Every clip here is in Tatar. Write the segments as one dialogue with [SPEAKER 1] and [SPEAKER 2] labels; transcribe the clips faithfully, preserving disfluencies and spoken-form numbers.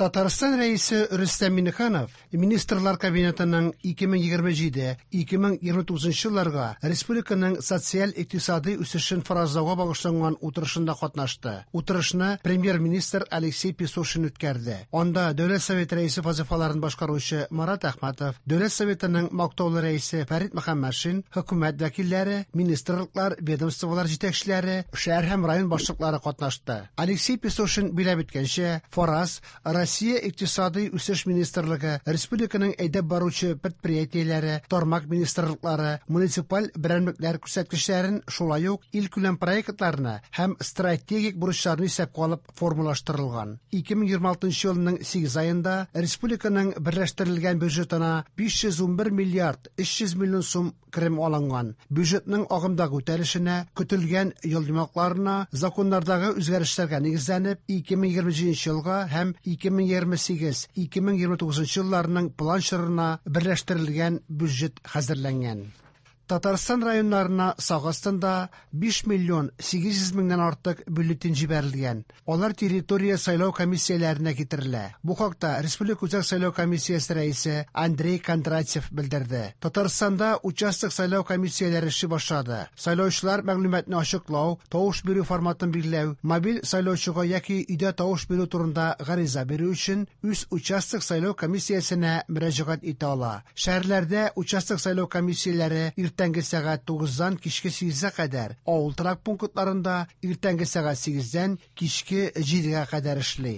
[SPEAKER 1] Татарстан Рәисе Рөстәм Миңнеханов Министрлар Кабинетының ике мең егерме җиде-ике мең егерме тугызынчы елларга республиканың социаль-икътисади үсешен фаразлауга багышланган утырышында катнашты. Утырышны премьер-министр Алексей Песошин үткәрде. Анда Дәүләт Советы рәисе вазифаларын башкаручы Марат Әхмәтов, Дәүләт Советының мактаулы рәисе Фәрит Мөхәммәтшин, хөкүмәт вәкилләре, министрлыклар, ведомстволар җитәкчеләре, шәһәр һәм район башлыклары катнашты. Алексей Песошин биләп үткәнчә, фараз Россия Икътисади үсеш министрлыгы, республиканың әйдәп баручы предприятиеләре, тармак министрлыклары, муниципаль берәмлекләр күрсәткечләрен, шулай ук илкүләм проектларны һәм стратегик бурычларны исәпкә алып формалаштырылган. ике мең егерме алтынчы елның сигез аенда республиканың берләштерелгән бюджетына биш йөз унбер миллиард өч йөз миллион сум керем алынган. Бюджетның агымдагы үтәлешенә, көтелгән ел йомгакларына, законнардагы үзгәрешләргә нигезләнеп, ике мең егерме җиденче елга һәм ике мең егерме сигез, ике мең егерме тугызынчы елларның план чорына берләштерелгән бюджет хәзерләнгән. Татарстан районнарына сак астында биш миллион сигез йөз меңнән артык бюллетень җибәрелгән. Алар территория сайлау комиссияләренә китерелә. Бу хакта Республика Үзәк сайлау комиссиясе рәисе Андрей Кондратьев белдерде. Татарстанда участок сайлау комиссияләре эшли башлады. Сайлаучылар мәгълүматны ачыклау, тавыш бирү форматын билгеләү, мобиль сайлаучыга яки өйдә тавыш бирү турында гариза бирү өчен үз участок сайлау комиссиясенә мөрәҗәгать итә ала. Шәһәрләрдә участок сайлау комиссияләре иртәнге сәгать тугыздан кичке сигезгә кадәр, авыл торак пунктларында иртәнге сәгать сигездән кичке җидегә кадәр эшли.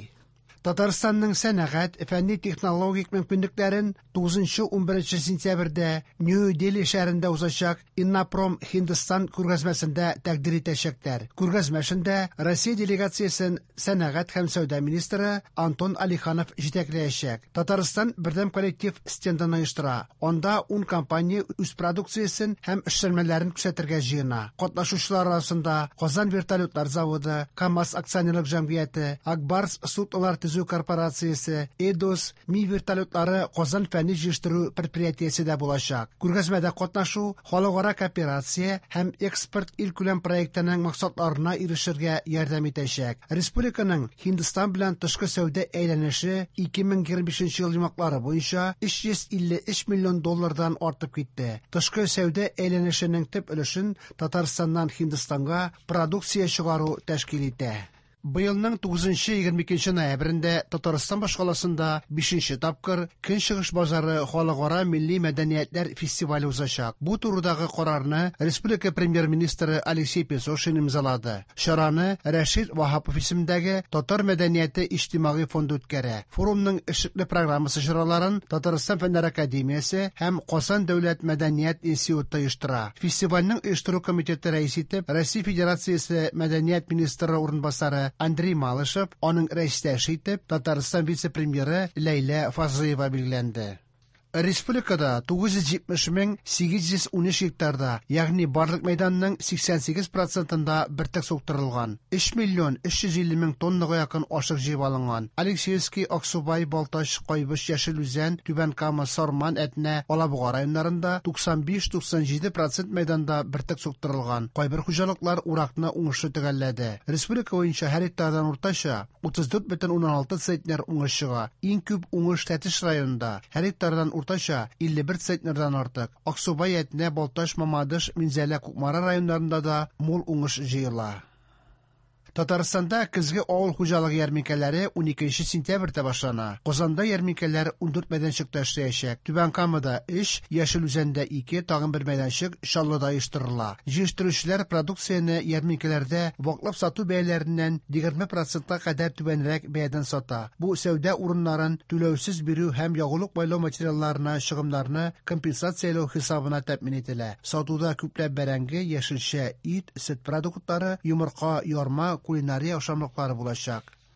[SPEAKER 1] Татарстанның сәнәгать, фәнни-технологик мөмкинлекләрен тугызынчы унберенче сентябрьдә Нью-Дели шәһәрендә узачак Иннопром Һиндстан күргәзмәсендә тәкъдир итәчәкләр. Күргәзмә эшендә Россия делегациясен сәнәгать һәм сәүдә министры Антон Алиханов җитәкләячәк. Татарстан бердәм коллектив стендын оештыра. Анда ун компания үз продукциясен һәм эшләнмәләрен күрсәтергә җыена. Катнашучылар арасында Казан вертолетлар заводы, КАМАЗ акционерлык җәмгыяте, Акбарс суднолар төзү корпорациясе, Эдос, Ми вертолетлары Казан фәнни җыештыру предприятиесе дә булачак. Күргәзмәдә катнашу халыкара кооперация һәм экспорт илкүләм проектының максатларына ирешергә ярдәм итәчәк. Республиканың Һиндстан белән тышкы сәүдә әйләнеше ике мең егерме бишенче ел йомгаклары буенча өч йөз илле өч миллион доллардан артып китте. Тышкы сәүдә әйләнешенең төп өлешен Татарстаннан Һиндстанга продукция чыгару тәшкил итә. Быелның тугызынчы егерме икенче ноябрендә Татарстан башкаласында бишенче тапкыр Көнчыгыш базары халыкара милли мәдәниятләр фестивале узачак. Бу турыдагы карарны республика премьер-министры Алексей Песошин имзалады. Чараны Рәшит Ваһапов исемендәге Татар мәдәнияте иҗтимагый фонды үткәрә. Форумның эшлекле программасы чараларын Татарстан Фәннәр академиясе һәм Казан дәүләт мәдәният институты оештыра. Фестивальнең оештыру комитеты рәисе итеп Россия Федерациясе мәдәният министры урынбасары Андрей Малышев, аның рәистәше итеп Татарстан вице-премьеры Ләйлә Фазлыева билгеләнде. Республикада тугыз йөз җитмеш мең сигез йөз унөч гектарда, ягъни барлык мәйданның сиксән сигез процентында бөртек суктырылган. Өч миллион өч йөз илле мең тоннага якын ашык җыеп алынган. Алексеевский, Аксубай, Балтач, Кайбыч, Яшел Үзән, Түбән Кама, Сарман, Әтнә, Алабуга районнарында туксан биш туксан җиде процент мәйданда бөртек суктырылган. Кайбер хуҗалыклар уракны уңышлы төгәлләде. Республика буенча һәр гектардан уртача утыз дүрт бөтен уннан алты центнер уңыш чыга. Иң күп уңыш Тәтеш районында. Һәр гектардан уртача илле бер центнердан артык. Аксубай, Әтнә, Балтач, Мамадыш, Минзәлә, Кукмара районнарында да мул уңыш җыела. Татарстанда көзге авыл хуҗалыгы ярминкәләре уникенче сентябрьдә башлана. Казанда ярминкәләр ундүрт мәйданчыкта эшләячәк. Түбән Камада өч, Яшел Үзәндә ике, тагын бер мәйданчык Чаллыда оештырыла. Җыештыручылар продукцияне ярминкәләрдә ваклап сату бәяләреннән егерме процентка кадәр түбәнрәк бәядән сата. Бу сәүдә урыннарын түләүсез бирү һәм ягулык майлау материалларына чыгымнарны компенсацияләү хисабына тәэмин ителә. Сатуда күпләп бәрәңге, яшелчә, ит, сөт продуктлары, йомырка, ярма, кулинария ашамлыклары булачак.